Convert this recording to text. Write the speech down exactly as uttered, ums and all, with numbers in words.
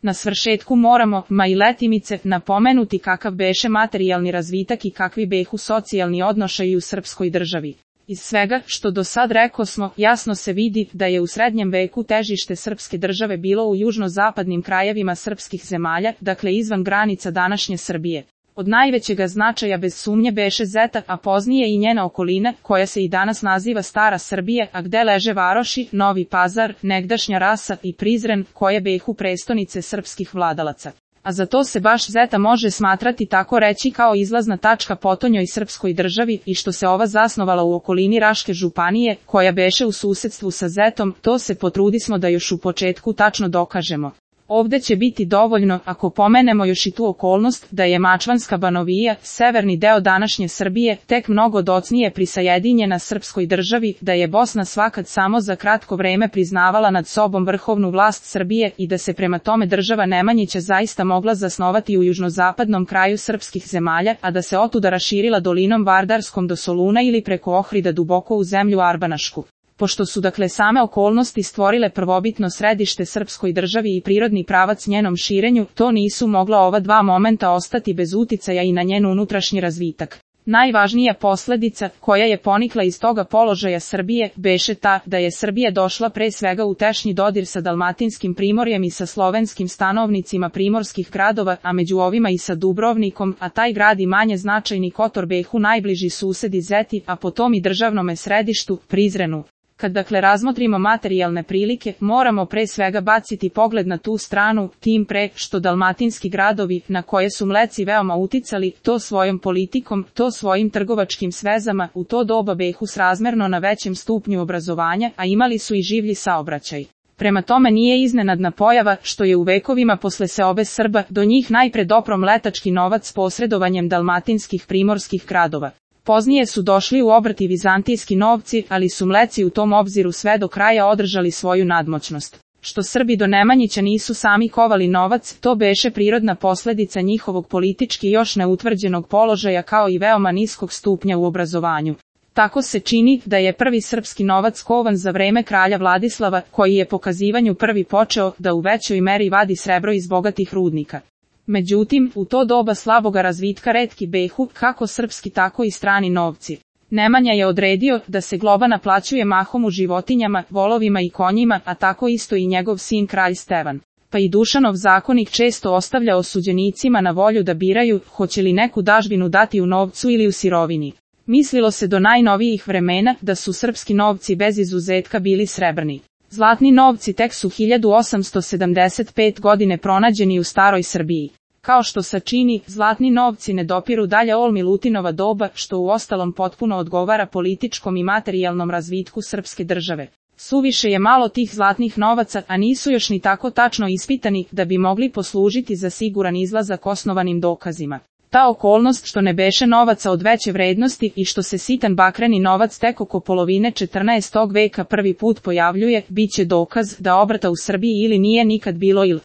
Na svršetku moramo, ma i letimice, napomenuti kakav beše materijalni razvitak i kakvi behu socijalni odnošaji u srpskoj državi. Iz svega, što do sad rekosmo, jasno se vidi da je u srednjem veku težište srpske države bilo u južno-zapadnim krajevima srpskih zemalja, dakle izvan granica današnje Srbije. Od najvećega značaja bez sumnje beše Zeta, a poznije i njena okolina, koja se i danas naziva Stara Srbija, a gde leže varoši, Novi Pazar, negdašnja Rasa i Prizren, koje behu prestonice srpskih vladalaca. A za to se baš Zeta može smatrati tako reći kao izlazna tačka potonjoj srpskoj državi i što se ova zasnovala u okolini Raške županije, koja beše u susedstvu sa Zetom, to se potrudismo da još u početku tačno dokažemo. Ovde će biti dovoljno, ako pomenemo još i tu okolnost, da je Mačvanska banovija, severni deo današnje Srbije, tek mnogo docnije prisajedinjena srpskoj državi, da je Bosna svakad samo za kratko vreme priznavala nad sobom vrhovnu vlast Srbije i da se prema tome država Nemanjića zaista mogla zasnovati u južnozapadnom kraju srpskih zemalja, a da se otuda raširila dolinom Vardarskom do Soluna ili preko Ohrida duboko u zemlju Arbanašku. Pošto su dakle same okolnosti stvorile prvobitno središte srpskoj državi i prirodni pravac njenom širenju, to nisu mogla ova dva momenta ostati bez uticaja i na njen unutrašnji razvitak. Najvažnija posledica, koja je ponikla iz toga položaja Srbije, beše ta da je Srbija došla pre svega u tešnji dodir sa dalmatinskim primorjem i sa slovenskim stanovnicima primorskih gradova, a među ovima i sa Dubrovnikom, a taj grad i manje značajni Kotor behu najbliži susedi Zeti, a potom i državnome središtu, Prizrenu. Kad dakle razmotrimo materijalne prilike, moramo pre svega baciti pogled na tu stranu, tim pre što dalmatinski gradovi, na koje su Mleci veoma uticali, to svojom politikom, to svojim trgovačkim svezama, u to doba behu srazmerno na većem stupnju obrazovanja, a imali su i življi saobraćaj. Prema tome nije iznenadna pojava što je u vekovima posle seobe Srba do njih najpre dopro mletački novac posredovanjem dalmatinskih primorskih gradova. Poznije su došli u obrt i vizantijski novci, ali su Mleci u tom obziru sve do kraja održali svoju nadmoćnost. Što Srbi do Nemanjića nisu sami kovali novac, to beše prirodna posledica njihovog politički još neutvrđenog položaja kao i veoma niskog stupnja u obrazovanju. Tako se čini da je prvi srpski novac kovan za vreme kralja Vladislava, koji je pokazivanju prvi počeo da u većoj meri vadi srebro iz bogatih rudnika. Međutim, u to doba slaboga razvitka retki behu, kako srpski tako i strani novci. Nemanja je odredio da se globa naplaćuje mahom u životinjama, volovima i konjima, a tako isto i njegov sin kralj Stevan. Pa i Dušanov zakonik često ostavlja osuđenicima na volju da biraju, hoće li neku dažbinu dati u novcu ili u sirovini. Mislilo se do najnovijih vremena da su srpski novci bez izuzetka bili srebrni. Zlatni novci tek su hiljadu osamsto sedamdeset pete. godine pronađeni u staroj Srbiji. Kao što se čini, zlatni novci ne dopiru dalje ol Milutinova doba, što u ostalom potpuno odgovara političkom i materijalnom razvitku srpske države. Suviše je malo tih zlatnih novaca, a nisu još ni tako tačno ispitani da bi mogli poslužiti za siguran izlazak osnovanim dokazima. Ta okolnost što ne beše novaca od veće vrednosti i što se sitan bakreni novac tek oko polovine četrnaestog veka prvi put pojavljuje, bit će dokaz da obrta u Srbiji ili nije nikad bilo ili